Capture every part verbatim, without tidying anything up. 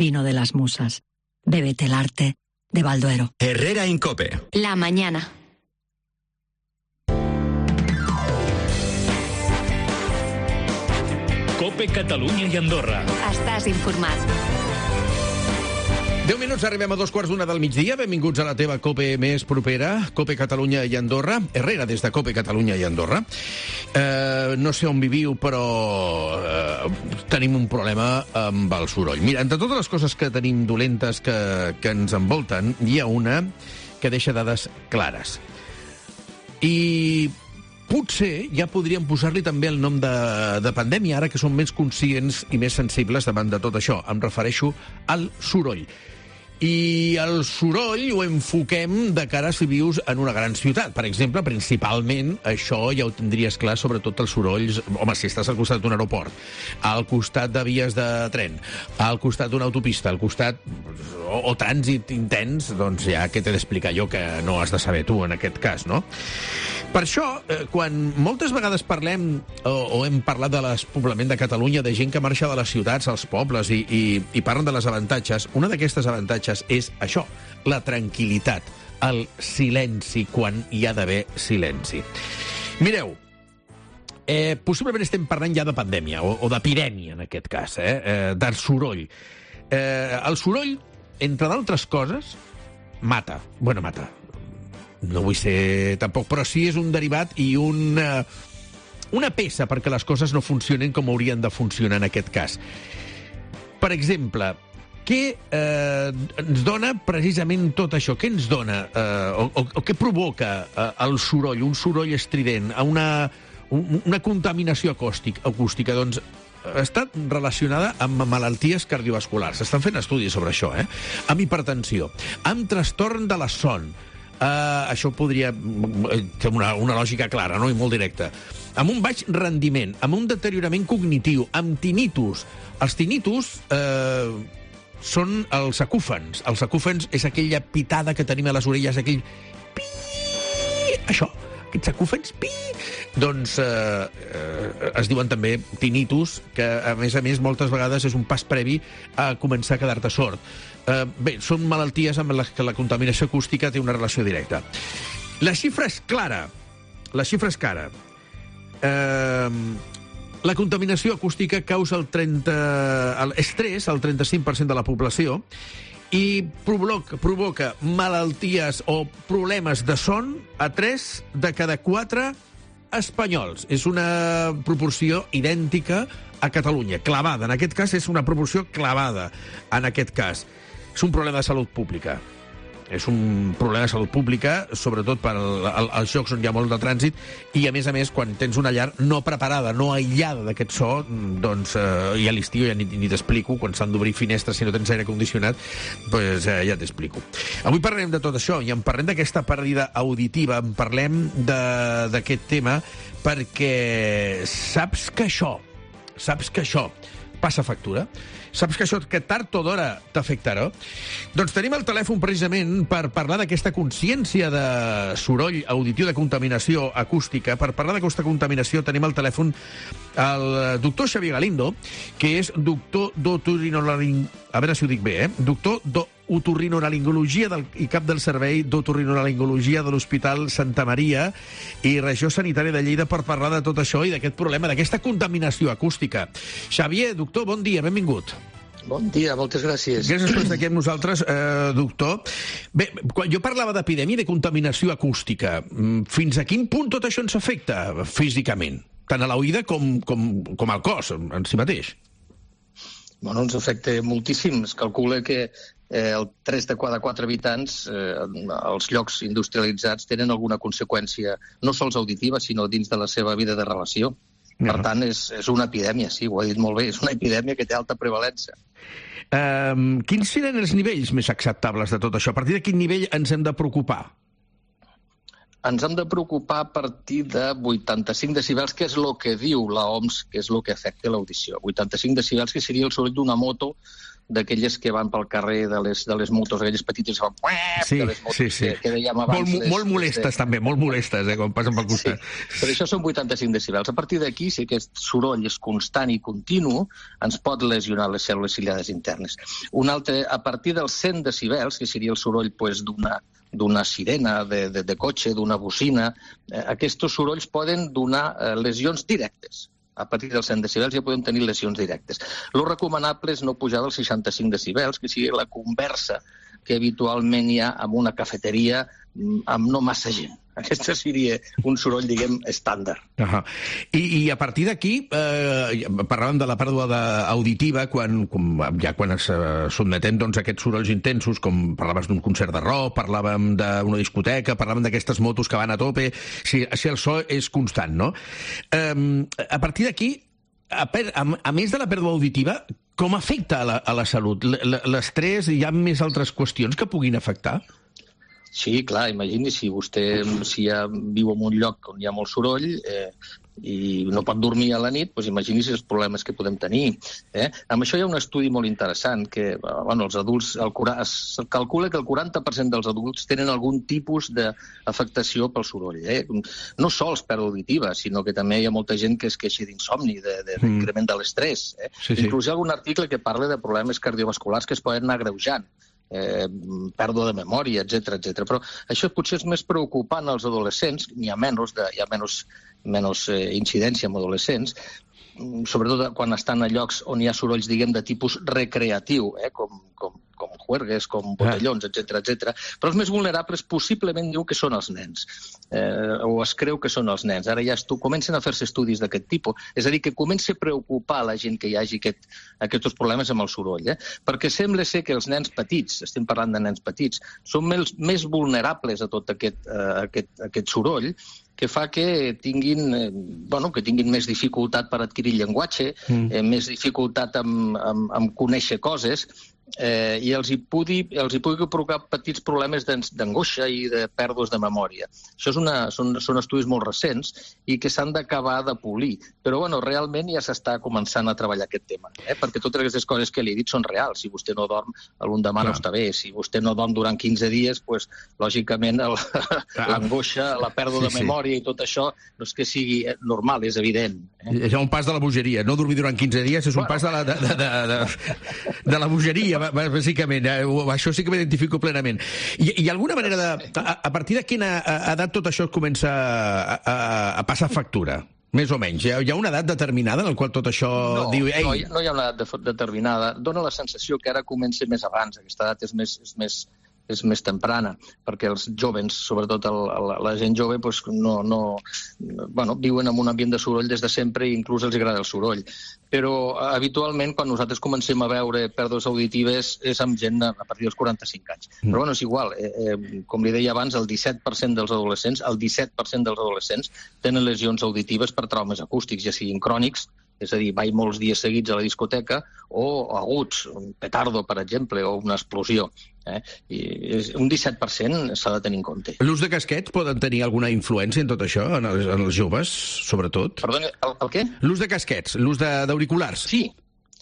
vino de las musas. Bébete el arte de Balduero. Herrera Incope. La mañana. Cope Catalunya i Andorra. Estàs informat. deu minuts, arribem a dos quarts d'una del migdia. Benvinguts a la teva Cope més propera, Cope Catalunya i Andorra. Herrera, des de Cope Catalunya i Andorra. Eh, no sé on viviu, però eh, tenim un problema amb el soroll. Mira, entre totes les coses que tenim dolentes que, que ens envolten, hi ha una que deixa dades clares. I potser ja podríem posar-li també el nom de, de pandèmia, ara que som més conscients i més sensibles davant de tot això. Em refereixo al soroll. I el soroll ho enfoquem de cara a si vius en una gran ciutat. Per exemple, principalment, això ja ho tindries clar, sobretot els sorolls... Home, si estàs al costat d'un aeroport, al costat de vies de tren, al costat d'una autopista, al costat... O, o trànsit intens, doncs ja què t'he d'explicar jo, que no has de saber tu en aquest cas, no? Per això, eh, quan moltes vegades parlem o, o hem parlat de l'espoblament de Catalunya, de gent que marxa de les ciutats als pobles i, i, i parlen de les avantatges, una d'aquestes avantatges és això, la tranquil·litat, el silenci quan hi ha d'haver silenci. Mireu, eh, possiblement estem parlant ja de pandèmia, o, o d'epidèmia en aquest cas, eh, eh, del soroll. Eh, el soroll, entre d'altres coses, mata. Bueno, mata. No vull ser tampoc, però sí és un derivat i una, una peça perquè les coses no funcionen com haurien de funcionar en aquest cas. Per exemple, què eh, ens dona precisament tot això? Què ens dona eh, o, o, o què provoca eh, el soroll, un soroll estrident, una, un, una contaminació acústica? acústica? Doncs està relacionada amb malalties cardiovasculars. S'estan fent estudis sobre això, eh? Amb hipertensió, amb trastorn de la son. Uh, això podria ser una, una lògica clara, no? I molt directa. Amb un baix rendiment, amb un deteriorament cognitiu, amb tinnitus. Els tinnitus eh, són els acúfens. Els acúfens és aquella pitada que tenim a les orelles, aquell pi... Això, aquests acúfens, pi... Doncs eh, eh, es diuen també tinnitus, que a més a més moltes vegades és un pas previ a començar a quedar-te sord. Eh, bé, són malalties amb les que la contaminació acústica té una relació directa. La xifra és clara. La xifra és clara. Eh, la contaminació acústica causa el trenta... l'estrès al trenta-cinc per cent de la població i provoca, provoca malalties o problemes de son a tres de cada quatre espanyols. És una proporció idèntica a Catalunya, clavada. En aquest cas és una proporció clavada. En aquest cas és un problema de salut pública. És un problema de salut pública, sobretot per al, al, als llocs on hi ha molt de trànsit, i a més a més, quan tens una llar no preparada, no aïllada d'aquest so, doncs eh, i a l'estiu ja ni, ni t'explico, quan s'han d'obrir finestres si no tens aire condicionat, doncs eh, ja t'explico. Avui parlem de tot això, i en parlem d'aquesta pèrdua auditiva, en parlem d'aquest tema, perquè saps que això, saps que això passa factura? Saps que això que tard o d'hora t'afectarà? Doncs tenim el telèfon precisament per parlar d'aquesta consciència de soroll auditiu, de contaminació acústica. Per parlar d'aquesta contaminació tenim al telèfon el doctor Xavier Galindo, que és doctor d'otorinolaringologia, a veure si ho dic bé, eh? Doctor d'otorrinolaringologia del, i cap del servei d'otorrinolaringologia de l'Hospital Santa Maria i Regió Sanitària de Lleida, per parlar de tot això i d'aquest problema, d'aquesta contaminació acústica. Xavier, doctor, bon dia, benvingut. Bon dia, moltes gràcies. Gràcies per estar aquí amb nosaltres, eh, doctor. Bé, quan jo parlava d'epidèmia i de contaminació acústica, fins a quin punt tot això ens afecta físicament? Tant a l'oïda com, com, com al cos en si mateix? Bueno, ens afecta moltíssim. Es calcula que eh, el tres de cada quatre habitants eh, als llocs industrialitzats tenen alguna conseqüència, no sols auditiva, sinó dins de la seva vida de relació. Per uh-huh. tant, és, és una epidèmia, sí, ho ha dit molt bé, és una epidèmia que té alta prevalença. Um, quins seran els nivells més acceptables de tot això? A partir de quin nivell ens hem de preocupar? Ens hem de preocupar a partir de vuitanta-cinc decibels, que és el que diu l'O M S, que és el que afecta l'audició. vuitanta-cinc decibels, que seria el soroll d'una moto d'aquelles que van pel carrer de les, de les motos, aquelles petites que fan... Sí, de les motos sí, sí. Que, que dèiem abans. Molt, les, molt molestes, les de... també, molt molestes, eh, quan passen pel costat. Sí, però això són vuitanta-cinc decibels. A partir d'aquí, si aquest soroll és constant i continu, ens pot lesionar les cèl·lules ciliades internes. Un altre, a partir dels cent decibels, que seria el soroll pues, d'una d'una sirena, de, de, de cotxe, d'una bocina, eh, aquests sorolls poden donar eh, lesions directes. A partir dels cent decibels ja podem tenir lesions directes. Lo recomanable és no pujar dels seixanta-cinc decibels, que sigui la conversa que habitualment hi ha en una cafeteria amb no massa gent. Aquest seria un soroll, diguem, estàndard. Uh -huh. I, I a partir d'aquí, eh, parlàvem de la pèrdua auditiva, quan, com, ja quan es eh, sotmetem doncs, a aquests sorolls intensos, com parlaves d'un concert de rock, parlàvem d'una discoteca, parlàvem d'aquestes motos que van a tope, si, si el so és constant, no? Eh, a partir d'aquí, a, a, a més de la pèrdua auditiva, com afecta a la, a la salut? L'estrès, hi ha més altres qüestions que puguin afectar? Sí, clar, imagini si vostè si ja viu en un lloc on hi ha molt soroll eh, i no pot dormir a la nit, doncs imagini si els problemes que podem tenir. Eh? Amb això hi ha un estudi molt interessant que bueno, els adults, el, es calcula que el quaranta per cent dels adults tenen algun tipus d'afectació pel soroll. Eh? No sols pèrdua auditiva, sinó que també hi ha molta gent que es queixa d'insomni, d'increment de, de, de l'estrès. Eh? Sí, sí. Inclús hi ha algun article que parla de problemes cardiovasculars que es poden anar agreujant. Eh, pèrdua de memòria, etcètera, etcètera. Però això potser és més preocupant als adolescents, n'hi ha menys, de, hi ha menys, menys eh, incidència en adolescents, sobretot quan estan a llocs on hi ha sorolls, diguem, de tipus recreatiu, eh, com, com, com juergues, com botellons, etcètera, etcètera. Però els més vulnerables possiblement diu que són els nens, eh, o es creu que són els nens. Ara ja estu, comencen a fer-se estudis d'aquest tipus, és a dir, que comença a preocupar la gent que hi hagi aquest, aquests problemes amb el soroll, eh? Perquè sembla ser que els nens petits, estem parlant de nens petits, són més, més vulnerables a tot aquest, eh, aquest, aquest soroll, que fa que tinguin, eh, bueno, que tinguin més dificultat per adquirir llenguatge, mm. eh, més dificultat en, en, en conèixer coses, eh, i els hi, pugui, els hi pugui provocar petits problemes d'angoixa i de pèrdues de memòria. Això és una, són, són estudis molt recents i que s'han d'acabar de polir. Però, bueno, realment ja s'està començant a treballar aquest tema, eh? Perquè totes aquestes coses que li he dit són reals. Si vostè no dorm, l'endemà no està bé. Si vostè no dorm durant quinze dies, pues, lògicament, l'angoixa, la pèrdua sí, de memòria i tot això no és que sigui normal, és evident. Eh? És un pas de la bogeria. No dormir durant quinze dies és un bueno. pas de la, de, de, de, de la bogeria, bàsicament. Això sí que m'identifico plenament. Hi, hi ha alguna manera de... A, a partir de quina edat tot això comença a, a, a passar factura? Més o menys. Hi ha, hi ha una edat determinada en la qual tot això no, diu... Ei... No, no hi ha una edat de, determinada. Dóna la sensació que ara comença més abans. Aquesta edat és més... És més és més temprana, perquè els jovens, sobretot el, el, la gent jove, pues no, no, bueno, viuen en un ambient de soroll des de sempre i inclús els agrada el soroll. Però habitualment, quan nosaltres comencem a veure pèrdues auditives, és amb gent a partir dels quaranta-cinc anys. Mm. Però bueno, és igual. Eh, eh, com li deia abans, el disset per cent dels adolescents, el disset per cent dels adolescents tenen lesions auditives per traumes acústics, ja siguin crònics, és a dir, vaig molts dies seguits a la discoteca, o aguts, un petardo, per exemple, o una explosió. Eh? I un disset per cent s'ha de tenir en compte. L'ús de casquets poden tenir alguna influència en tot això, en els, en els joves, sobretot? Perdoni, el, el què? L'ús de casquets, l'ús d'auriculars. Sí,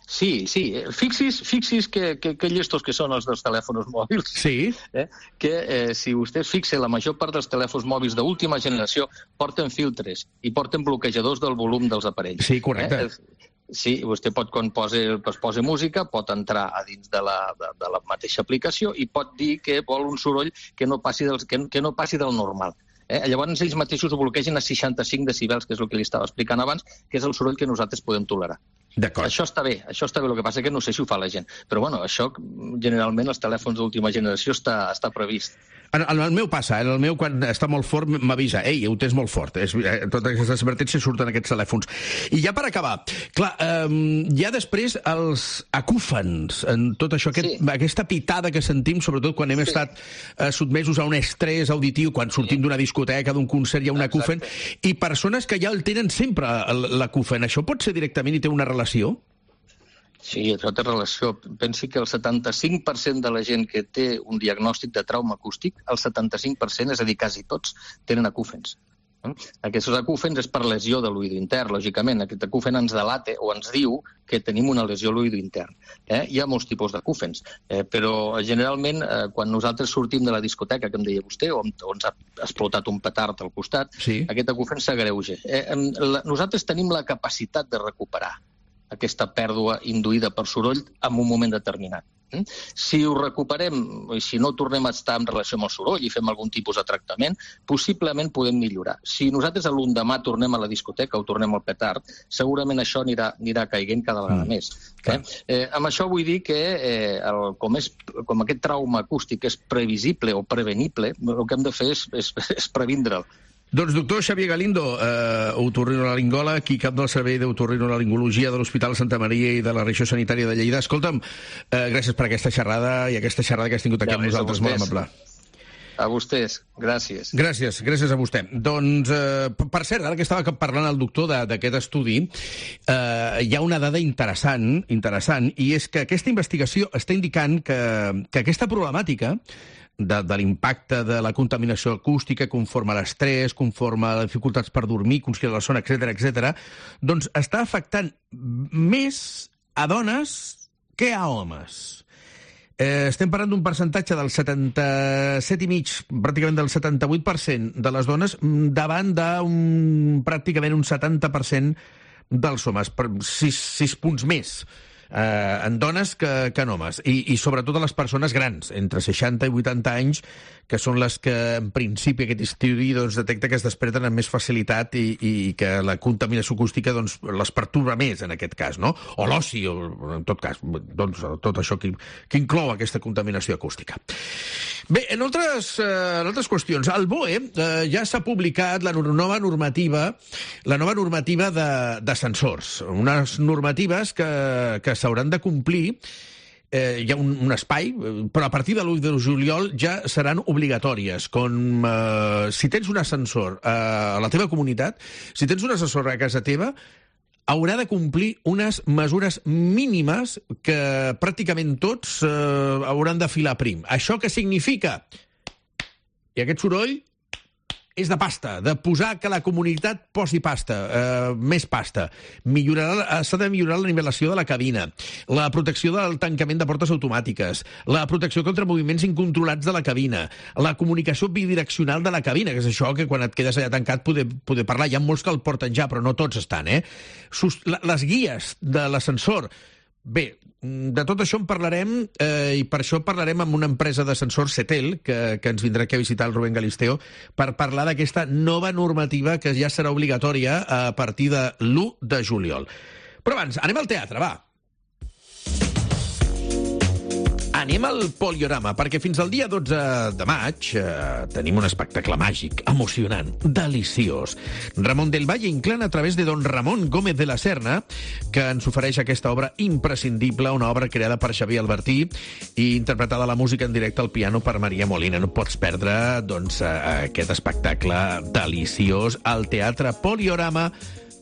sí, sí. Fixis, fixis que, que, que llestos que són els dels telèfons mòbils. Sí. Eh? Que eh, si vostè es fixa, la major part dels telèfons mòbils d'última generació porten filtres i porten bloquejadors del volum dels aparells. Sí, correcte. Eh? Sí, vostè pot, quan posa, posa música, pot entrar a dins de la, de, de la mateixa aplicació i pot dir que vol un soroll que no passi del, que, que no passi del normal. Eh? Llavors ells mateixos ho bloquegen a seixanta-cinc decibels, que és el que li estava explicant abans, que és el soroll que nosaltres podem tolerar. Això està bé, això està bé, el que passa que no sé si ho fa la gent. Però bueno, això generalment els telèfons d'última generació està, està previst. En, en el meu passa, en el meu quan està molt fort m'avisa, ei, ho tens molt fort. És, eh, totes aquestes advertències surten aquests telèfons. I ja per acabar, clar, eh, ja després els acúfens, en tot això, aquest, sí. aquesta pitada que sentim, sobretot quan hem sí. estat eh, sotmesos a un estrès auditiu, quan sortim sí. d'una discoteca, d'un concert, hi ha un acúfen, i persones que ja el tenen sempre, l'acúfen. Això pot ser directament i té una relació? Sí, això té relació. Pensi que el setanta-cinc per cent de la gent que té un diagnòstic de trauma acústic, el setanta-cinc per cent, és a dir, quasi tots, tenen acúfens. Aquests acúfens és per lesió de l'oïdor intern, lògicament. Aquest acúfen ens delata o ens diu que tenim una lesió a l'oïdor intern. Eh? Hi ha molts tipus d'acúfens, eh, però generalment eh, quan nosaltres sortim de la discoteca, que em deia vostè, o, o ens ha explotat un petard al costat, sí. Aquest acúfen s'agreuja. Eh, la, nosaltres tenim la capacitat de recuperar aquesta pèrdua induïda per soroll en un moment determinat. Si ho recuperem, i si no tornem a estar en relació amb el soroll i fem algun tipus de tractament, possiblement podem millorar. Si nosaltres a l'endemà tornem a la discoteca o tornem al petard, segurament això anirà, anirà caiguent cada vegada mm. més. Eh? Eh, amb això vull dir que eh, el, com, és, com aquest trauma acústic és previsible o prevenible, el que hem de fer és, és, és previndre'l. Doncs doctor Xavier Galindo, eh, otorrinolaringòleg, aquí cap del servei d'otorrinolaringologia de l'Hospital Santa Maria i de la Regió Sanitària de Lleida. Escolta'm, eh, gràcies per aquesta xerrada i aquesta xerrada que has tingut aquí ja, amb nosaltres, molt amable. A vostès, gràcies. Gràcies, gràcies a vostè. Doncs, eh, per cert, ara que estava parlant el doctor d'aquest estudi, eh, hi ha una dada interessant, interessant, i és que aquesta investigació està indicant que, que aquesta problemàtica de, de l'impacte de la contaminació acústica conforme a l'estrès, conforme a les dificultats per dormir, conscient de la son, etcètera, etcètera, doncs està afectant més a dones que a homes. Eh, estem parlant d'un percentatge del setanta-set i mig, pràcticament del setanta-vuit per cent de les dones davant d'un pràcticament un setanta per cent dels homes, per sis, sis punts més. Eh, en dones que, que en homes, I, i sobretot a les persones grans, entre seixanta i vuitanta anys, que són les que en principi aquest estudi doncs, detecta que es desperten amb més facilitat i, i que la contaminació acústica doncs, les perturba més en aquest cas, no? O l'oci, o en tot cas, doncs, tot això que, que inclou aquesta contaminació acústica. Bé, en altres, eh, en altres qüestions, al B O E eh, ja s'ha publicat la nova normativa, la nova normativa d'ascensors, unes normatives que, que s'hauran de complir. Eh, hi ha un, un espai, però a partir de l'u de juliol ja seran obligatòries. Com, eh, si tens un ascensor eh, a la teva comunitat, si tens un ascensor a casa teva, haurà de complir unes mesures mínimes que pràcticament tots eh, hauran de filar prim. Això què significa? I aquest soroll és de pasta, de posar que la comunitat posi pasta, eh, més pasta. Millorarà, s'ha de millorar la nivelació de la cabina, la protecció del tancament de portes automàtiques, la protecció contra moviments incontrolats de la cabina, la comunicació bidireccional de la cabina, que és això que quan et quedes allà tancat poder, poder parlar. Hi ha molts que el porten ja, però no tots estan, eh? Sus, la, les guies de l'ascensor. Bé, de tot això en parlarem eh, i per això parlarem amb una empresa d'ascensors, Setel, que, que ens vindrà aquí a visitar el Rubén Galisteo, per parlar d'aquesta nova normativa que ja serà obligatòria a partir de l'u de juliol. Però abans, anem al teatre, va. Anem al Poliorama, perquè fins al dia dotze de maig eh, tenim un espectacle màgic, emocionant, deliciós. Ramon del Valle Inclán a través de don Ramon Gómez de la Serna, que ens ofereix aquesta obra imprescindible, una obra creada per Xavier Albertí i interpretada la música en directe al piano per Maria Molina. No pots perdre doncs, aquest espectacle deliciós al Teatre Poliorama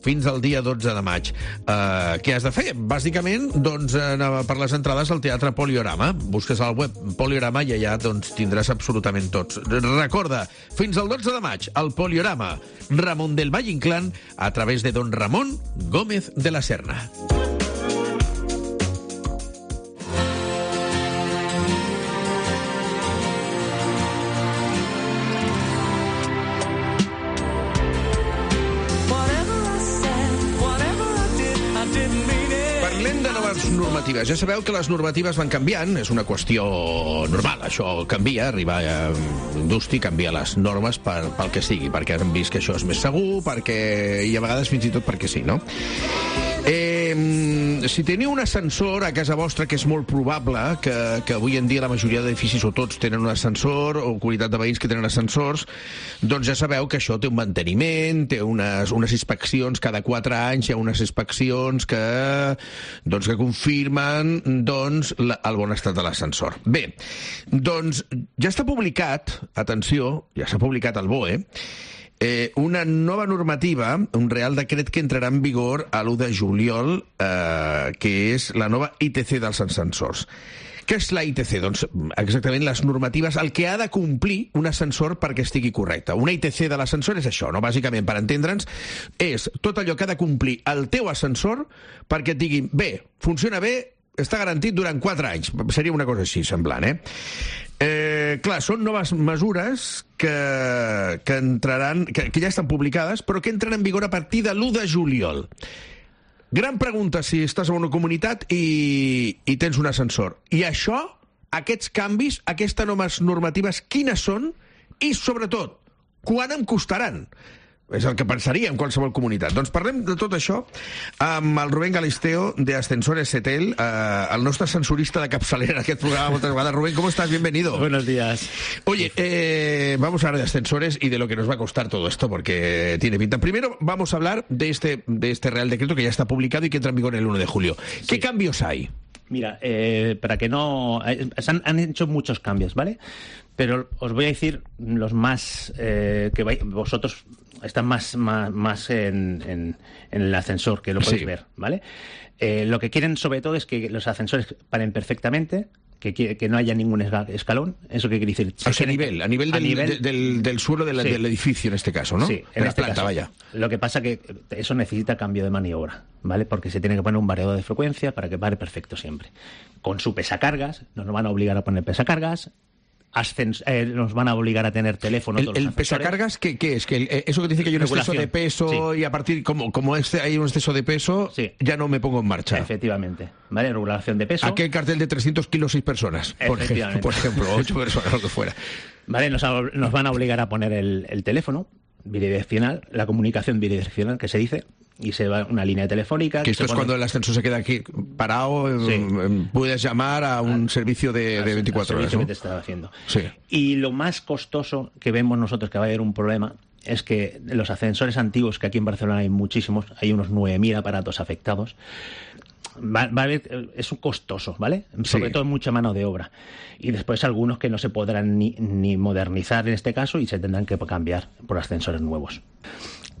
fins al dia dotze de maig. Uh, què has de fer? Bàsicament, doncs, uh, per les entrades al Teatre Poliorama. Busques al web Poliorama i allà doncs, tindràs absolutament tots. Recorda, fins al dotze de maig, al Poliorama, Ramon del Valle Inclán, a través de don Ramon Gómez de la Serna. Normatives. Ja sabeu que les normatives van canviant, és una qüestió normal, això canvia, arribar a l'indústria, canvia les normes per, pel que sigui, perquè han vist que això és més segur, perquè i a vegades fins i tot perquè sí, no? Eh, si teniu un ascensor a casa vostra, que és molt probable que, que avui en dia la majoria d'edificis o tots tenen un ascensor, o comunitat de veïns que tenen ascensors, doncs ja sabeu que això té un manteniment, té unes, unes inspeccions cada quatre anys, hi ha unes inspeccions que, doncs, que confirmen doncs, la, el bon estat de l'ascensor. Bé, doncs ja està publicat, atenció, ja s'ha publicat al B O E, Eh, una nova normativa, un real decret que entrarà en vigor a l'u de juliol, eh, que és la nova I T C dels ascensors. Què és la I T C? Doncs exactament les normatives, el que ha de complir un ascensor perquè estigui correcte. Una I T C de l'ascensor és això, no? Bàsicament, per entendre'ns, és tot allò que ha de complir el teu ascensor perquè et diguin, bé, funciona bé, està garantit durant quatre anys. Seria una cosa així, semblant, eh? Eh, clar, són noves mesures que, que entraran, que, que ja estan publicades, però que entren en vigor a partir de l'u de juliol. Gran pregunta si estàs en una comunitat i, i tens un ascensor. I això, aquests canvis, aquestes noves normatives, quines són? I, sobretot, quan em costaran? És el que pensaria en qualsevol comunitat. Doncs parlem de tot això amb el Rubén Galisteo de Ascensores Setel, eh, el nostre ascensorista de capçalera en aquest programa moltes vegades. Rubén, ¿cómo estás? Bienvenido. Buenos días. Oye, eh, vamos a hablar de ascensores y de lo que nos va a costar todo esto, porque tiene pinta. Primero vamos a hablar de este, de este Real Decreto que ya está publicado y que entra en vigor el uno de julio. ¿Qué sí. cambios hay? Mira, eh, para que no... Eh, han, han hecho muchos cambios, ¿vale? Pero os voy a decir los más... Eh, que vais, vosotros están más, más, más en, en, en el ascensor, que lo podéis sí. ver, ¿vale? Eh, lo que quieren sobre todo es que los ascensores paren perfectamente, que, que no haya ningún escalón. ¿Eso qué quiere decir? O sea, a nivel, a nivel, del, a nivel de, del, del suelo de la, sí. del edificio en este caso, ¿no? Sí, en de este la planta, caso. Vaya. Lo que pasa que eso necesita cambio de maniobra, ¿vale? Porque se tiene que poner un variador de frecuencia para que pare perfecto siempre. Con su pesacargas, nos van a obligar a poner pesacargas. Ascens eh, nos van a obligar a tener teléfono. ¿El, el pesacargas qué, qué es? ¿Que el, eso que dice que hay un exceso de peso sí. y a partir, como, como este hay un exceso de peso, sí. ya no me pongo en marcha? Efectivamente. ¿Vale? Regulación de peso. Aquel cartel de trescientos kilos, seis personas, por ejemplo, por ejemplo, ocho personas, lo que fuera. Vale, nos, a, nos van a obligar a poner el, el teléfono bidireccional, la comunicación bidireccional, que se dice, y se va una línea telefónica. Que, que esto es pone... cuando el ascensor se queda aquí parado, sí. puedes llamar a un al, servicio de, de veinticuatro horas, ¿no? Que te estaba haciendo. Sí. Y lo más costoso que vemos nosotros que va a haber un problema es que los ascensores antiguos, que aquí en Barcelona hay muchísimos, hay unos nueve mil aparatos afectados, va, va a haber, es un costoso, ¿vale? Sobre sí. todo mucha mano de obra. Y después algunos que no se podrán ni, ni modernizar en este caso y se tendrán que cambiar por ascensores nuevos.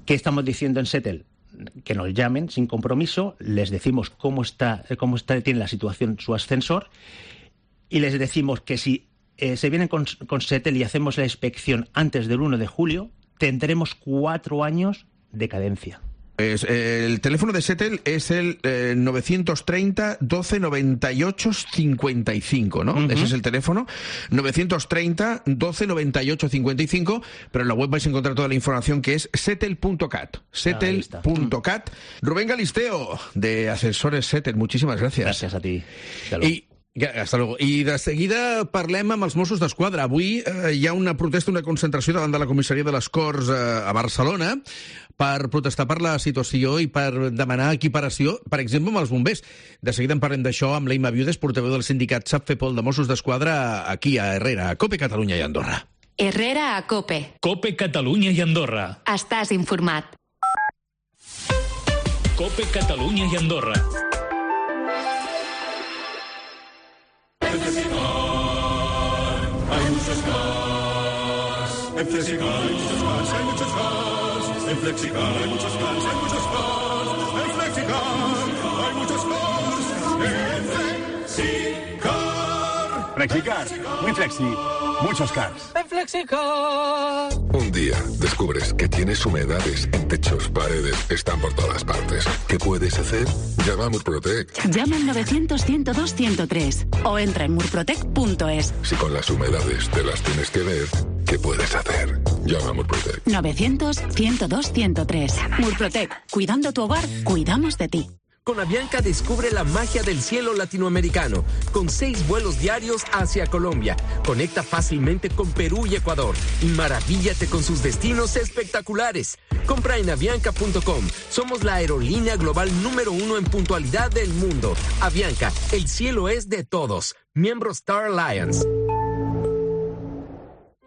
¿Qué estamos diciendo en Setel? Que nos llamen sin compromiso, les decimos cómo está, cómo está, tiene la situación su ascensor y les decimos que si eh, se vienen con, con Setel y hacemos la inspección antes del uno de julio, tendremos cuatro años de cadencia. Pues, eh, el teléfono de Setel es el eh, novecientos treinta, doce, noventa y ocho, cincuenta y cinco, ¿no? Uh-huh. Ese es el teléfono, novecientos treinta, doce, noventa y ocho, cincuenta y cinco, pero en la web vais a encontrar toda la información que es setel punto cat, setel punto cat. Rubén Galisteo, de Ascensores Setel, muchísimas gracias. Gracias a ti. Y hasta luego. I de seguida parlem amb els Mossos d'Esquadra. Avui eh, hi ha una protesta, una concentració davant de la comissaria de les Corts eh, a Barcelona per protestar per la situació i per demanar equiparació, per exemple, amb els bombers. De seguida en parlem d'això amb l'Eima Viudes, portaveu del sindicat SAPFEPOL de Mossos d'Esquadra, aquí a Herrera, a COPE Catalunya i Andorra. Herrera a COPE. COPE Catalunya i Andorra. Estàs informat. COPE Catalunya i Andorra. Hay muchos cars. En Flexicar hay muchos cars, hay muchos cars. En Flexicar hay muchos cars, hay muchos cars. En Flexicar hay muchos cars. En Flexicar. Flexicar, muy flexi, muchos cars. En Flexicar. Un día descubres que tienes humedades en techos, paredes, están por todas partes. ¿Qué puedes hacer? Llama a Murprotec. Llama al novecientos, ciento dos, ciento tres o entra en murprotec punto es. Si con las humedades te las tienes que ver, ¿qué puedes hacer? Llama a Murprotec. novecientos, ciento dos, ciento tres. Murprotec. Cuidando tu hogar, cuidamos de ti. Con Avianca descubre la magia del cielo latinoamericano, con seis vuelos diarios hacia Colombia. Conecta fácilmente con Perú y Ecuador y maravíllate con sus destinos espectaculares. Compra en avianca punto com. Somos la aerolínea global número uno en puntualidad del mundo. Avianca, el cielo es de todos. Miembro Star Alliance.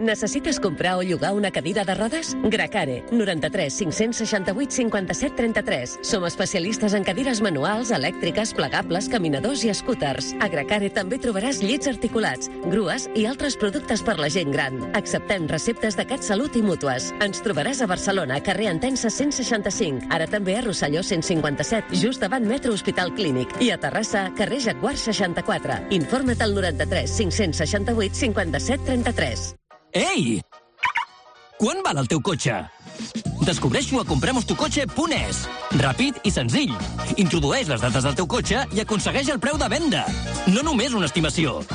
Necessites comprar o llogar una cadira de rodes? Gracare, noranta-tres cinc-cents seixanta-vuit cinquanta-set trenta-tres. Som especialistes en cadires manuals, elèctriques, plegables, caminadors i scooters. A Gracare també trobaràs llits articulats, grues i altres productes per la gent gran. Acceptem receptes de CatSalut i mútues. Ens trobaràs a Barcelona, carrer Entença cent seixanta-cinc. Ara també a Rosselló cent cinquanta-set, just davant Metro Hospital Clínic. I a Terrassa, carrer Jaguar seixanta-quatre. Informa't al noranta-tres cinc-cents seixanta-vuit cinquanta-set trenta-tres. Ei! Quan val el teu cotxe? Descobreix-ho a compremos tu cotxe punt es. Ràpid i senzill. Introdueix les dades del teu cotxe i aconsegueix el preu de venda. No només una estimació.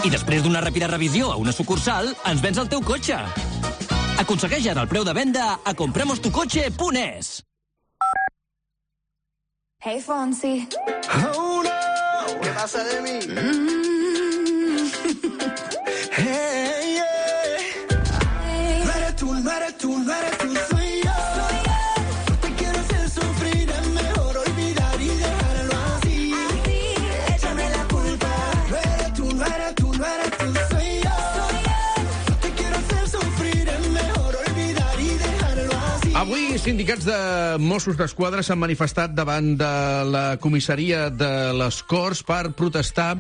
I després d'una ràpida revisió a una sucursal, ens vens el teu cotxe. Aconsegueix ara el preu de venda a compremos tu cotxe punt es. Hey, Fonsi. Oh, no. ¿Qué pasa de mí? Mm. Hey, yeah. No eres tú, no eres tú, no eres tú, soy yo. No te quiero hacer sufrir, es mejor olvidar y dejarlo así. Así, échame la culpa. No eres tú, no eres tú, no eres tú, soy yo. No te quiero hacer sufrir, es mejor olvidar y dejarlo así. Avui, sindicats de Mossos d'Esquadra s'han manifestat davant de la comissaria de les Corts per protestar,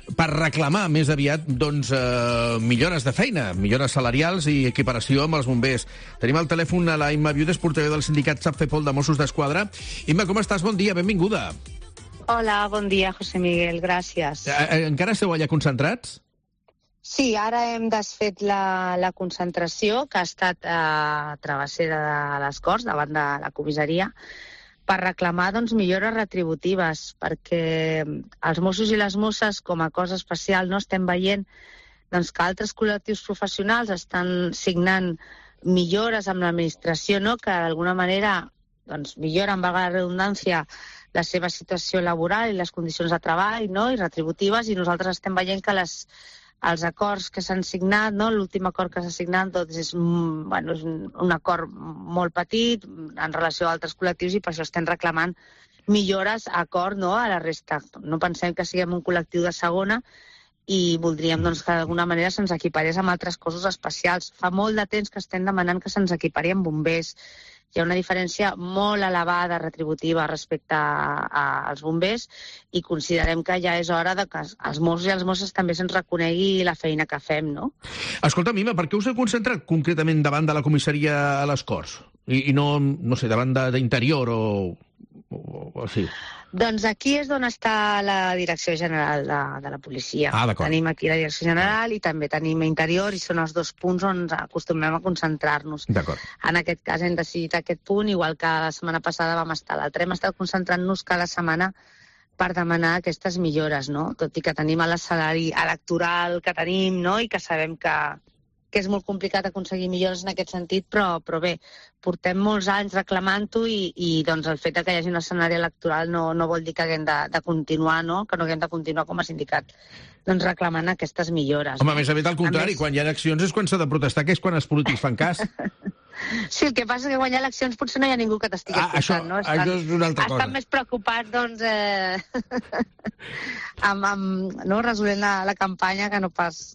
per reclamar més aviat doncs, eh, millores de feina, millores salarials i equiparació amb els bombers. Tenim al telèfon a la Imma Viudes, portaveu del sindicat SAPFEPOL de Mossos d'Esquadra. Imma, com estàs? Bon dia, benvinguda. Hola, bon dia, José Miguel, gràcies. Eh, encara esteu allà concentrats? Sí, ara hem desfet la, la concentració que ha estat a Travessera de les Corts, davant de la comissaria, per reclamar doncs, millores retributives, perquè els Mossos i les Mosses, com a cosa especial, no estem veient doncs, que altres col·lectius professionals estan signant millores amb l'administració, no? Que d'alguna manera doncs, milloren, valga la redundància, la seva situació laboral i les condicions de treball, no? I retributives, i nosaltres estem veient que les els acords que s'han signat, no? L'últim acord que s'ha signat doncs és, bueno, és un acord molt petit en relació a altres col·lectius i per això estem reclamant millores a acord, no? A la resta. No pensem que siguem un col·lectiu de segona i voldríem doncs, que d'alguna manera se'ns equiparés amb altres cossos especials. Fa molt de temps que estem demanant que se'ns equipari amb bombers. Hi ha una diferència molt elevada retributiva respecte a, a, als bombers i considerem que ja és hora de que els Mossos i les Mosses també se'ns reconegui la feina que fem, no? Escolta, Mima, per què us heu concentrat concretament davant de la comissaria a les Corts? I, i no, no sé, davant d'Interior o, o, o així? Doncs aquí és on està la Direcció General de, de la Policia. Ah, d'acord. Tenim aquí la Direcció General i també tenim Interior i són els dos punts on acostumem a concentrar-nos. D'acord. En aquest cas hem decidit aquest punt, igual que la setmana passada vam estar a l'altre. Hem estat concentrant-nos cada setmana per demanar aquestes millores, no? Tot i que tenim el salari electoral que tenim, no? I que sabem que, que és molt complicat aconseguir millores en aquest sentit, però, però bé, portem molts anys reclamant-ho i, i doncs, el fet que hi hagi un escenari electoral no, no vol dir que haguem de, de continuar, no? Que no haguem de continuar com a sindicat doncs, reclamant aquestes millores. Home, no? més aviat al contrari, més... quan hi ha eleccions és quan s'ha de protestar, que és quan els polítics fan cas. Sí, el que passa és que quan hi ha eleccions potser no hi ha ningú que t'estigui ah, escoltant, això, no? Estan, això és una altra cosa. Estan més preocupats, doncs, eh... amb, amb no? resolent la, la campanya que no pas...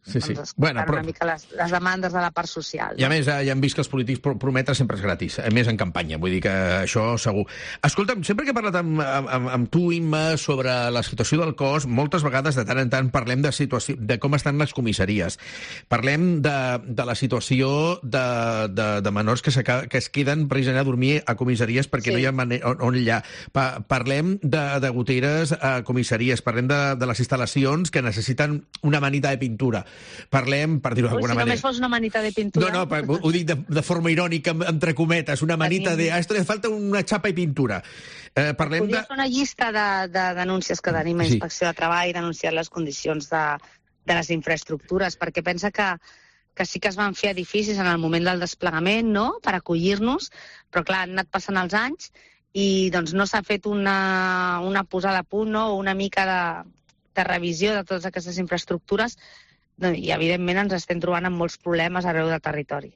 Sí, sí. Doncs, bueno, però... una mica les, les demandes de la part social. I a més, ja hem vist que els polítics prometre sempre és gratis, a més en campanya, vull dir que això segur. Escolta'm, sempre que he parlat amb, amb, amb tu, Imma, sobre la situació del cos, moltes vegades, de tant en tant, parlem de, situació, de com estan les comissaries. Parlem de, de la situació de, de, de menors que, que es queden precisament a dormir a comissaries perquè sí. no hi ha manera, on, on hi ha. Pa, parlem de, de goteres a comissaries, parlem de, de les instal·lacions que necessiten una manita de pintura. Parlem, per dir-ho d'alguna si manera... Si només fos una manita de pintura... No, no, ho dic de, de forma irònica, entre cometes, una manita de... Ah, esto le falta una xapa i pintura. Eh, parlem Podria de... fer una llista de, de denúncies que tenim a Inspecció sí. de Treball, denunciant les condicions de, de les infraestructures, perquè pensa que, que sí que es van fer edificis en el moment del desplegament, no?, per acollir-nos, però clar, han anat passant els anys i doncs no s'ha fet una, una posada a punt, no?, una mica de, de revisió de totes aquestes infraestructures, i evidentment ens estem trobant amb molts problemes arreu del territori.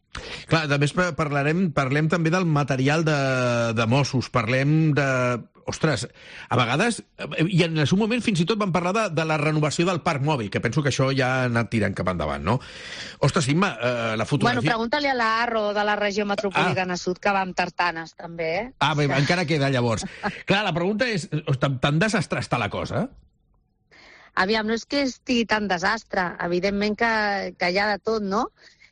Clar, també parlarem, parlem també del material de, de Mossos, parlem de... ostres, a vegades, i en el seu moment fins i tot van parlar de, de la renovació del parc mòbil, que penso que això ja ha anat tirant cap endavant, no? Ostres, Imma, eh, la fotografia... Bueno, pregunta-li a la Arro de la regió metropolitana ah. sud, que va amb tartanes, també, eh? Ah, bé, encara queda, llavors. Clar, la pregunta és, tan, tan desastre està la cosa? Aviam, no és que estigui tan desastre, evidentment que, que hi ha de tot, no?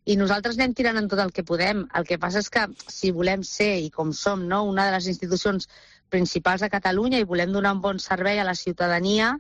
I nosaltres anem tirant en tot el que podem. El que passa és que si volem ser, i com som, no, una de les institucions principals de Catalunya i volem donar un bon servei a la ciutadania,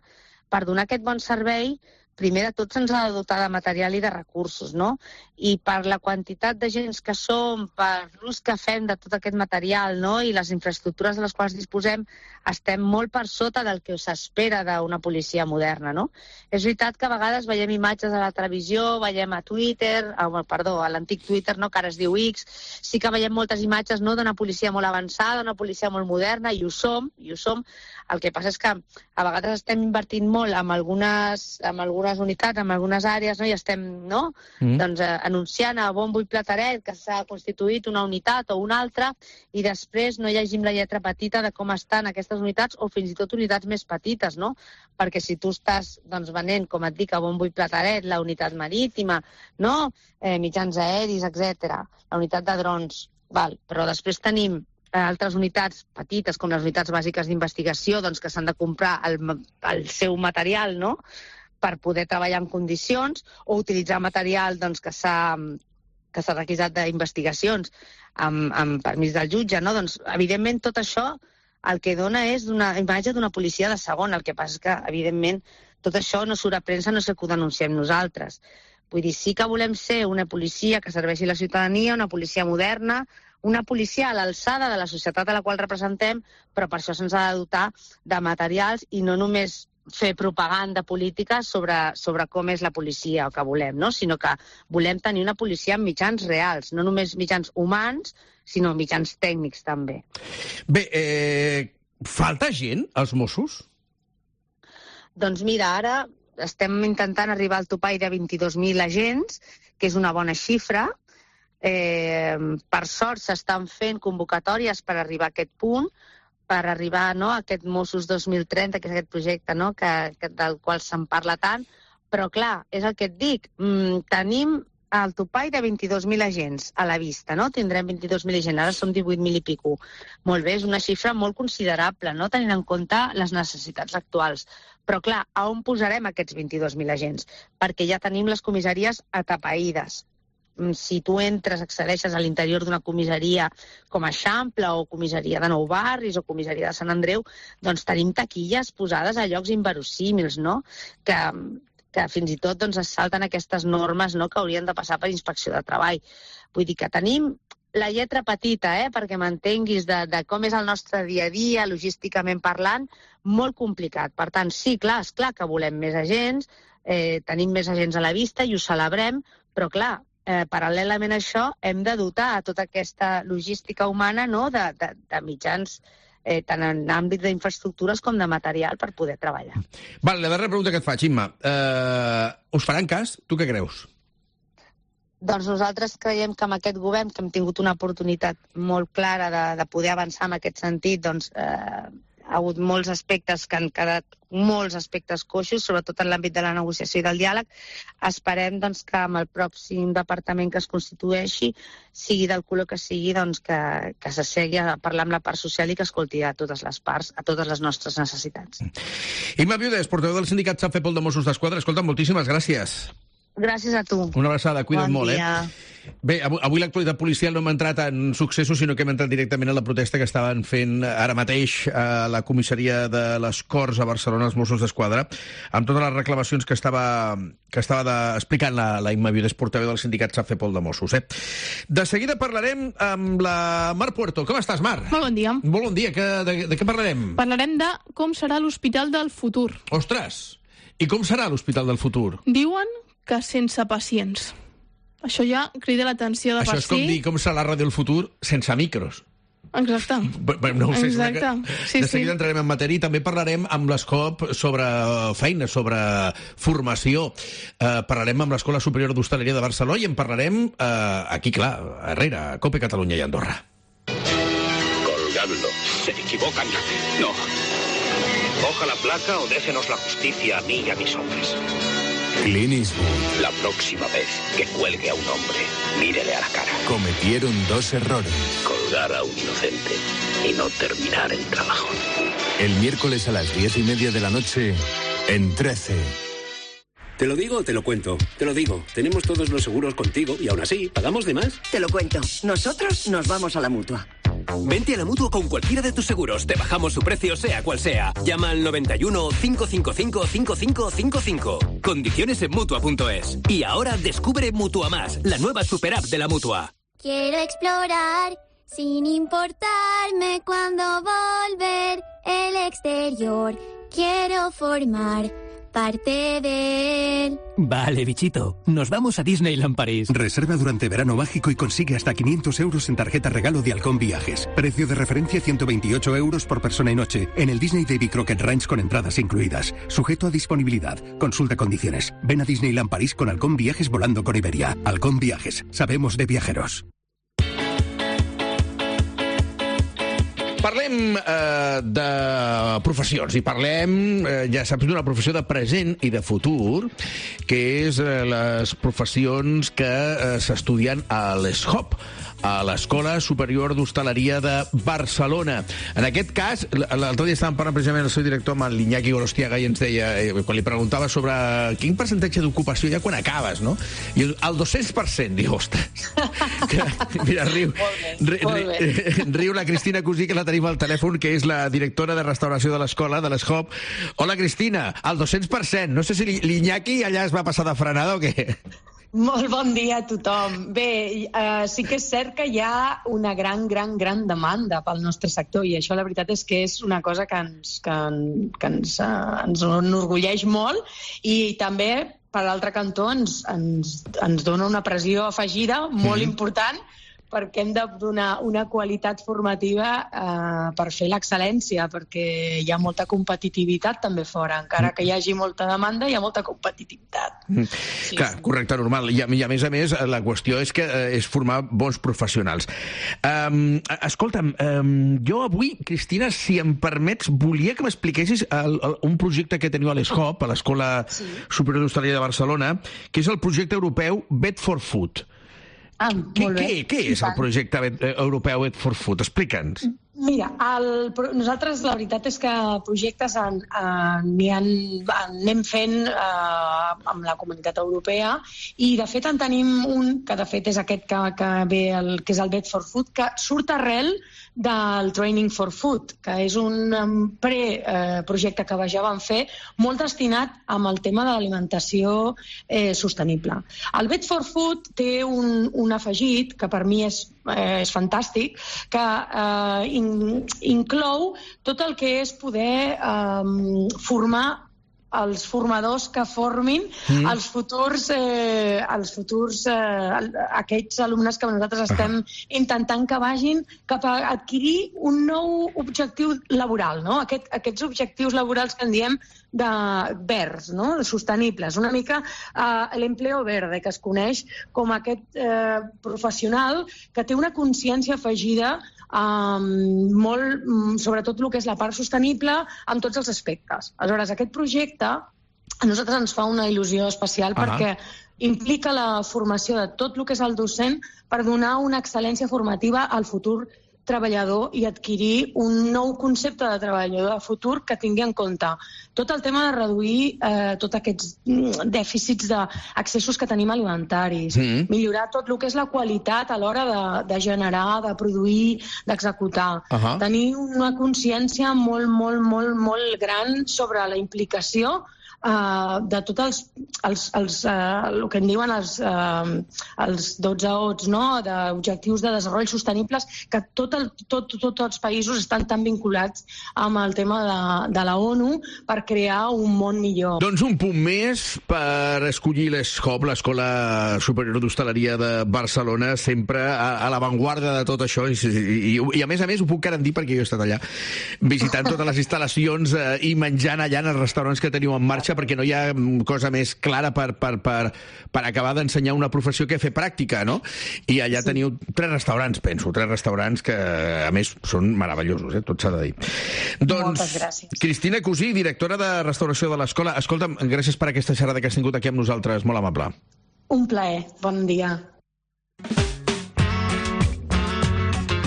per donar aquest bon servei, primer de tot se'ns ha de dotar de material i de recursos, no? I per la quantitat de gens que som, per l'ús que fem de tot aquest material, no?, i les infraestructures de les quals disposem, estem molt per sota del que s'espera d'una policia moderna, no? És veritat que a vegades veiem imatges a la televisió, veiem a Twitter, oh, perdó, a l'antic Twitter, no?, que ara es diu X, sí que veiem moltes imatges, no?, d'una policia molt avançada, una policia molt moderna, i ho som, i ho som. El que passa és que a vegades estem invertint molt en algunes, en algunes unitats, en algunes àrees, no?, i estem, no?, mm. doncs, eh, anunciant a bombo i plateret que s'ha constituït una unitat o una altra, i després no llegim la lletra petita de com estan aquestes unitats, o fins i tot unitats més petites, no? Perquè si tu estàs, doncs, venent, com et dic, a bombo i plateret, la unitat marítima, no?, eh, mitjans aeris, etcètera, la unitat de drons, val, però després tenim altres unitats petites, com les unitats bàsiques d'investigació, doncs, que s'han de comprar el, el seu material, no?, per poder treballar en condicions, o utilitzar material, doncs, que s'ha que s'ha requisat d'investigacions amb, amb permís del jutge, no? Doncs, evidentment, tot això el que dona és una imatge d'una policia de segon. El que passa és que, evidentment, tot això no surt a premsa, no sé que ho denunciem nosaltres. Vull dir, sí que volem ser una policia que serveixi la ciutadania, una policia moderna, una policia a l'alçada de la societat a la qual representem, però per això se'ns ha de dotar de materials i no només fer propaganda política sobre, sobre com és la policia o que volem, no? Sinó que volem tenir una policia amb mitjans reals, no només mitjans humans, sinó mitjans tècnics també. Bé, eh, falta gent als Mossos? Doncs mira, ara estem intentant arribar al topall de vint-i-dos mil agents, que és una bona xifra. Eh, per sort s'estan fent convocatòries per arribar a aquest punt, per arribar, no, a aquest Mossos dos mil trenta, que és aquest projecte, no?, que, que, del qual se'n parla tant, però clar, és el que et dic, mm, tenim el topall de vint-i-dos mil agents a la vista, no? Tindrem vint-i-dos mil agents, ara som divuit mil i pico. Molt bé, és una xifra molt considerable, no?, tenint en compte les necessitats actuals. Però clar, a on posarem aquests vint-i-dos mil agents? Perquè ja tenim les comissaries atapeïdes. Si tu entres, accedeixes a l'interior d'una comissaria com a Eixample o comissaria de Nou Barris o comissaria de Sant Andreu, doncs tenim taquilles posades a llocs inverosímils, no?, que, que fins i tot doncs, es salten aquestes normes, no?, que haurien de passar per inspecció de treball. Vull dir que tenim la lletra petita, eh, perquè m'entenguis de, de com és el nostre dia a dia, logísticament parlant, molt complicat. Per tant, sí, clar, és clar que volem més agents, eh, tenim més agents a la vista i ho celebrem, però clar, Eh, paral·lelament a això, hem de dotar a tota aquesta logística humana, no?, de, de, de mitjans, eh, tant en àmbit d'infraestructures com de material per poder treballar. Val, la darrera pregunta que et faig, Imma. Eh, us faran cas? Tu què creus? Doncs nosaltres creiem que amb aquest govern, que hem tingut una oportunitat molt clara de, de poder avançar en aquest sentit, doncs eh, ha hagut molts aspectes que han quedat molts aspectes coixos, sobretot en l'àmbit de la negociació i del diàleg. Esperem doncs, que amb el pròxim departament que es constitueixi, sigui del color que sigui, doncs, que, que s'assegui a parlar amb la part social i que escolti a totes les parts, a totes les nostres necessitats. Imma Viudes, portaveu del sindicat SAFEPOL de Mossos d'Esquadra. Escolta, moltíssimes gràcies. Gràcies a tu. Una abraçada, cuida't bon molt, dia. eh? Bé, avui, avui l'actualitat policial no hem entrat en successos, sinó que hem entrat directament a la protesta que estaven fent ara mateix a la comissaria de les Corts a Barcelona, els Mossos d'Esquadra, amb totes les reclamacions que estava, que estava de, explicant la, la Imma Viudes, portaveu del sindicat SAFEPOL de Mossos. Eh? De seguida parlarem amb la Mar Puerto. Com estàs, Mar? Molt bon dia. Molt bon dia. Que, de, de què parlarem? Parlarem de com serà l'hospital del futur. Ostres! I com serà l'hospital del futur? Diuen que sense pacients. Això ja crida l'atenció de per si. Això és com dir com serà la ràdio del futur sense micros. Exacte. No ho sé, Exacte. Sí, de seguida sí. entrarem en matèria i també parlarem amb l'Escop sobre feina, sobre formació. Eh, parlarem amb l'Escola Superior d'Hostaleria de Barcelona i en parlarem eh, aquí, clar, a Herrera, a Cope Catalunya i Andorra. Colgando. Se equivocan. No. Coja la placa o déjenos la justicia a mí y a mis hombres. Clint Eastwood. La próxima vez que cuelgue a un hombre, mírele a la cara. Cometieron dos errores. Colgar a un inocente y no terminar el trabajo. El miércoles a las diez y media de la noche, en trece. ¿Te lo digo o te lo cuento? Te lo digo. Tenemos todos los seguros contigo y aún así, ¿pagamos de más? Te lo cuento. Nosotros nos vamos a la Mutua. Vente a la Mutua con cualquiera de tus seguros. Te bajamos su precio sea cual sea. Llama al noventa y uno, cinco cinco cinco, cinco cinco cinco cinco. Condiciones en Mutua punto es. Y ahora descubre Mutua Más, la nueva super app de la Mutua. Quiero explorar sin importarme cuándo volver el exterior. Quiero formar parte de él. Vale, bichito. Nos vamos a Disneyland París. Reserva durante verano mágico y consigue hasta quinientos euros en tarjeta regalo de Halcón Viajes. Precio de referencia ciento veintiocho euros por persona y noche. En el Disney Davy Crockett Ranch con entradas incluidas. Sujeto a disponibilidad. Consulta condiciones. Ven a Disneyland París con Halcón Viajes volando con Iberia. Halcón Viajes. Sabemos de viajeros. Parlem eh, de professions i parlem, eh, ja saps, d'una professió de present i de futur, que és eh, les professions que eh, s'estudien a l'E S H O P, a l'Escola Superior d'Hostaleria de Barcelona. En aquest cas, l'altre dia estàvem parlant precisament el seu director amb l'Iñaki Gorostiaga i ens deia, eh, quan li preguntava sobre quin percentatge d'ocupació hi ha quan acabes, no? I el dos-cents per cent, diu, ostres. Que, mira, riu, ri, ri, riu la Cristina Cosí, que la tenim al telèfon, que és la directora de restauració de l'escola, de l'E S H O P. Hola, Cristina, el dos-cents per cent. No sé si l'Iñaki allà es va passar de frenada o què? Molt bon dia a tothom. Bé, eh, sí que és cert que hi ha una gran, gran, gran demanda pel nostre sector i això la veritat és que és una cosa que ens, que, que ens, eh, ens enorgulleix molt i també, per l'altre cantó, ens, ens, ens dona una pressió afegida molt mm-hmm. important perquè hem de donar una qualitat formativa eh, per fer l'excel·lència, perquè hi ha molta competitivitat també fora. Encara que hi hagi molta demanda, hi ha molta competitivitat. Mm. Sí, Clar, sí. Correcte, normal. I a, I a més a més, la qüestió és que eh, és formar bons professionals. Um, escolta'm, um, jo avui, Cristina, si em permets, volia que m'expliquessis el, el, un projecte que teniu a l'E S H O P, a l'Escola sí. Superior d'Hostaleria de Barcelona, que és el projecte europeu Vet for Food. Ah, què, què, què és el projecte europeu Vet for Food? Explica'ns. Mira, el, nosaltres la veritat és que projectes en, en, en, anem fent eh, amb la comunitat europea i de fet en tenim un, que de fet és aquest que, que ve, el, que és el Vet for Food, que surt arrel del Training for Food, que és un pre-projecte eh, que ja vam fer molt destinat amb el tema de l'alimentació eh, sostenible. El Vet for Food té un, un afegit que per mi és, eh, és fantàstic, que eh, in, inclou tot el que és poder eh, formar els formadors que formin mm. els futurs, eh, els futurs eh, aquests alumnes que nosaltres estem uh -huh. intentant que vagin cap a adquirir un nou objectiu laboral, no? Aquest, aquests objectius laborals que en diem de verds, no? De sostenibles, una mica eh, l'empleo verde, que es coneix com aquest eh, professional que té una consciència afegida Um, molt, sobretot el que és la part sostenible en tots els aspectes. Aleshores, aquest projecte a nosaltres ens fa una il·lusió especial uh -huh. perquè implica la formació de tot el que és el docent per donar una excel·lència formativa al futur treballador i adquirir un nou concepte de treballador de futur que tingui en compte tot el tema de reduir eh, tots aquests dèficits d'accessos que tenim alimentaris, mm. millorar tot el que és la qualitat a l'hora de, de generar, de produir, d'executar. Uh -huh. Tenir una consciència molt, molt, molt, molt gran sobre la implicació Uh, de tots els, els, els uh, el que en diuen els, uh, els dotze ots, no? D'objectius de desenvolupament sostenibles, que tot el, tot, tot els països estan tan vinculats amb el tema de, de la ONU per crear un món millor. Doncs un punt més per escollir l'E S H O P, l'Escola Superior d'Hostaleria de Barcelona, sempre a, a l'avantguarda de tot això, i, i, i a més a més ho puc garantir perquè jo he estat allà visitant totes les instal·lacions eh, i menjant allà en els restaurants que teniu en marxa. classe perquè no hi ha cosa més clara per, per, per, per acabar d'ensenyar una professió que fer pràctica, no? I allà sí. teniu tres restaurants, penso, tres restaurants que, a més, són meravellosos, eh? Tot s'ha de dir. Doncs, moltes gràcies. Cristina Cusí, directora de restauració de l'escola. Escolta'm, gràcies per aquesta xerrada que has tingut aquí amb nosaltres, molt amable. Un plaer, bon dia.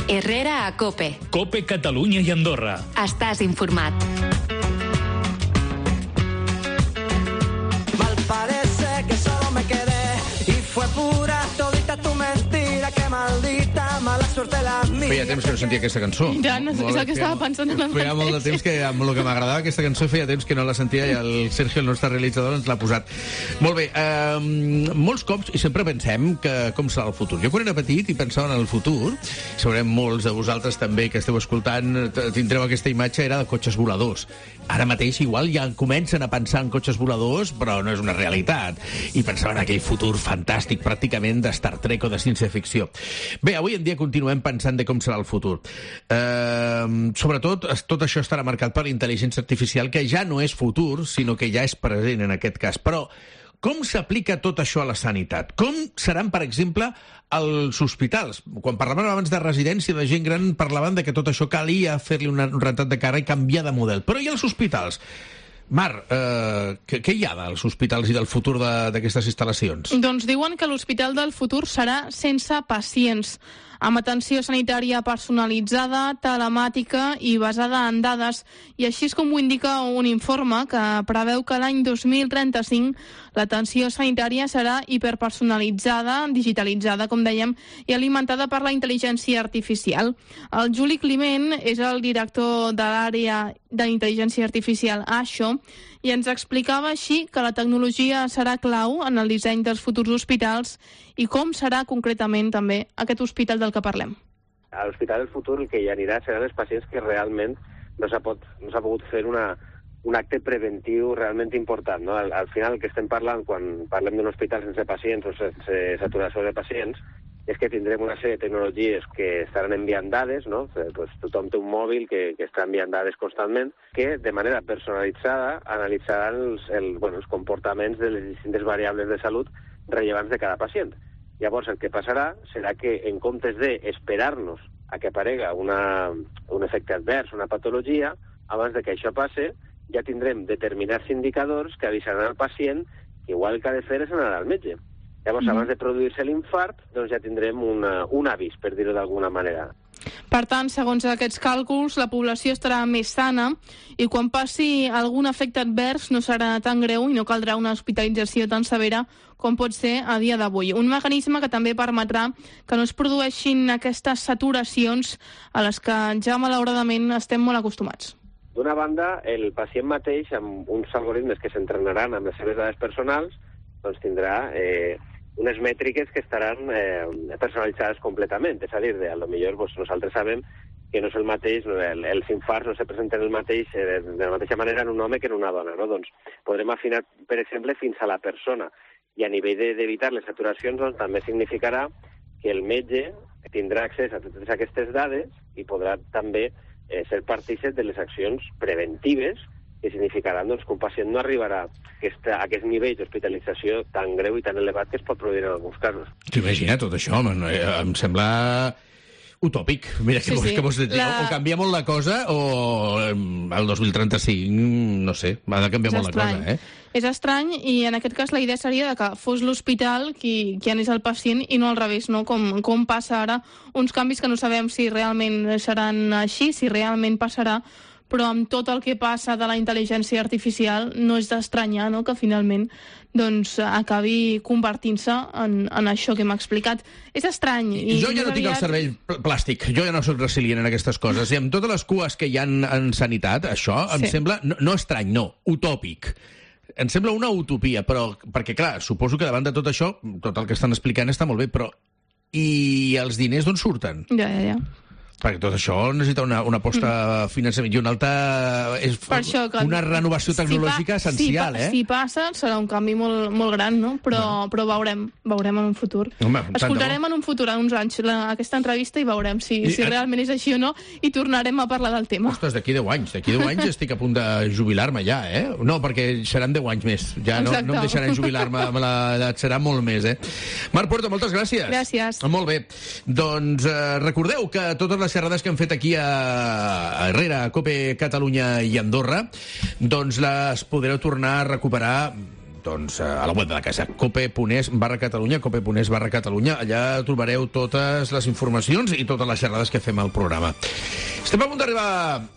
Herrera a COPE. COPE Catalunya i Andorra. Estàs informat. Mal parece que solo me quedé y fue pura todita tu mentira, que maldita mala suerte la mía. Feia temps que no sentia aquesta cançó. Ja, no, és el que estava pensant en el Feia molt de temps que, amb el que m'agradava aquesta cançó, feia temps que no la sentia i el Sergio, el nostre realitzador, ens l'ha posat. Molt bé, eh, molts cops, i sempre pensem que com serà el futur. Jo quan era petit i pensava en el futur, segurament molts de vosaltres també que esteu escoltant tindreu aquesta imatge, era de cotxes voladors. Ara mateix igual ja comencen a pensar en cotxes voladors, però no és una realitat. I pensaven en aquell futur fantàstic, pràcticament de Star Trek o de ciència-ficció. Bé, avui en dia continuem pensant de com serà el futur. Eh, sobretot, tot això estarà marcat per la intel·ligència artificial, que ja no és futur, sinó que ja és present en aquest cas. Però com s'aplica tot això a la sanitat? Com seran, per exemple, als hospitals? Quan parlaven abans de residència de gent gran, parlaven de que tot això calia fer-li un rentat de cara i canviar de model. Però i als hospitals? Mar, eh, què, què hi ha dels hospitals i del futur d'aquestes instal·lacions? Doncs diuen que l'hospital del futur serà sense pacients, amb atenció sanitària personalitzada, telemàtica i basada en dades, i així és com ho indica un informe que preveu que l'any dos mil trenta-cinc l'atenció sanitària serà hiperpersonalitzada, digitalitzada, com dèiem, i alimentada per la intel·ligència artificial. El Juli Climent és el director de l'àrea d'intel·ligència artificial A S H O, i ens explicava així que la tecnologia serà clau en el disseny dels futurs hospitals i com serà concretament també aquest hospital del que parlem. A l'Hospital del Futur el que hi anirà seran els pacients que realment no s'ha pot, no s'ha pogut fer una, un acte preventiu realment important, no? Al, al final el que estem parlant quan parlem d'un hospital sense pacients o sense saturació de pacients és que tindrem una sèrie de tecnologies que estaran enviant dades, no? Pues tothom té un mòbil que, que està enviant dades constantment, que de manera personalitzada analitzaran els, el, bueno, els comportaments de les distintes variables de salut rellevants de cada pacient. Llavors el que passarà serà que en comptes d'esperar-nos a que aparega una, un efecte advers, una patologia, abans de que això passe, ja tindrem determinats indicadors que avisaran al pacient que igual el que ha de fer és anar al metge. Llavors, mm. abans de produir-se l'infart, doncs ja tindrem una, un avís, per dir-ho d'alguna manera. Per tant, segons aquests càlculs, la població estarà més sana i quan passi algun efecte advers no serà tan greu i no caldrà una hospitalització tan severa com pot ser a dia d'avui. Un mecanisme que també permetrà que no es produeixin aquestes saturacions a les que ja malauradament estem molt acostumats. D'una banda, el pacient mateix, amb uns algoritmes que s'entrenaran amb les seves dades personals, doncs tindrà eh, unes mètriques que estaran eh, personalitzades completament. És a dir, de, a lo millor pues, nosaltres sabem que no és el mateix, el, els infarts no se presenten el mateix, eh, de la mateixa manera en un home que en una dona, no? Doncs podrem afinar, per exemple, fins a la persona. I a nivell d'evitar les saturacions, doncs, també significarà que el metge tindrà accés a totes aquestes dades i podrà també eh, ser partícip de les accions preventives que significaran doncs, que un pacient no arribarà a aquest, a aquest nivell d'hospitalització tan greu i tan elevat que es pot produir en alguns casos. T'imagina tot això, home, no, em sembla utòpic. Mira, que, sí, sí. que vols dir, la... o canvia molt la cosa o el dos mil trenta-cinc, no sé, ha de canviar és molt estrany. La cosa, eh? És estrany i en aquest cas la idea seria de que fos l'hospital qui, qui anés al pacient i no al revés, no? Com, com passa ara, uns canvis que no sabem si realment seran així, si realment passarà, però amb tot el que passa de la intel·ligència artificial no és d'estranyar, no?, que finalment doncs, acabi convertint-se en, en això que m'ha explicat. És estrany. I jo ja no tinc el cervell plàstic, jo ja no soc resilient en aquestes coses, i amb totes les cues que hi ha en, en sanitat, això em sí. sembla, no, no estrany, no, utòpic. Em sembla una utopia, però, perquè clar, suposo que davant de tot això, tot el que estan explicant està molt bé, però i els diners d'on surten? Ja, ja, ja. Perquè tot això necessita una, una aposta mm. finançament i una alta... És això, que, una renovació tecnològica si pa, essencial, si pa, eh? Si passa, serà un canvi molt, molt gran, no? Però, bueno. però veurem, veurem en un futur. Home, escoltarem en un futur, en uns anys, la, aquesta entrevista i veurem si, I, si realment és així o no i tornarem a parlar del tema. Ostres, d'aquí deu anys. D'aquí deu anys estic a punt de jubilar-me ja, eh? No, perquè seran deu anys més. Ja no, no em deixaran jubilar-me amb l'edat, serà molt més, eh? Marc Puerto, moltes gràcies. Gràcies. Molt bé. Doncs eh, recordeu que totes les xerrades que hem fet aquí a, a Herrera, a COPE Catalunya i Andorra, doncs les podreu tornar a recuperar doncs, a la web de la casa, cope.es barra Catalunya, cope.es barra Catalunya. Allà trobareu totes les informacions i totes les xerrades que fem al programa. Estem a punt d'arribar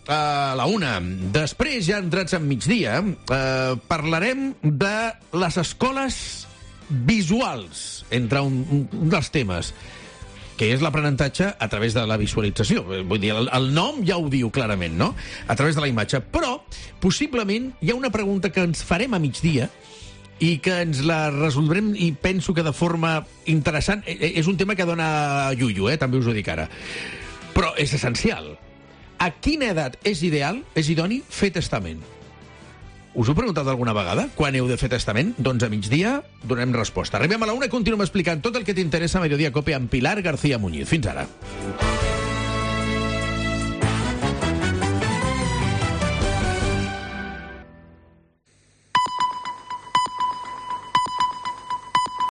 a la una. Després, ja entrats en migdia, eh, parlarem de les escoles visuals, entre un, un dels temes, que és l'aprenentatge a través de la visualització. Vull dir, el, el nom ja ho diu clarament, no? A través de la imatge. Però, possiblement, hi ha una pregunta que ens farem a migdia i que ens la resoldrem, i penso que de forma interessant. És un tema que dona llullo, eh? També us ho dic ara. Però és essencial. A quina edat és ideal, és idoni, fer testament? Us ho he preguntat alguna vegada? Quan heu de fer testament? Doncs a migdia donem resposta. Arribem a la una i continuem explicant tot el que t'interessa a Mediodía Cope amb Pilar García Muñiz. Fins ara.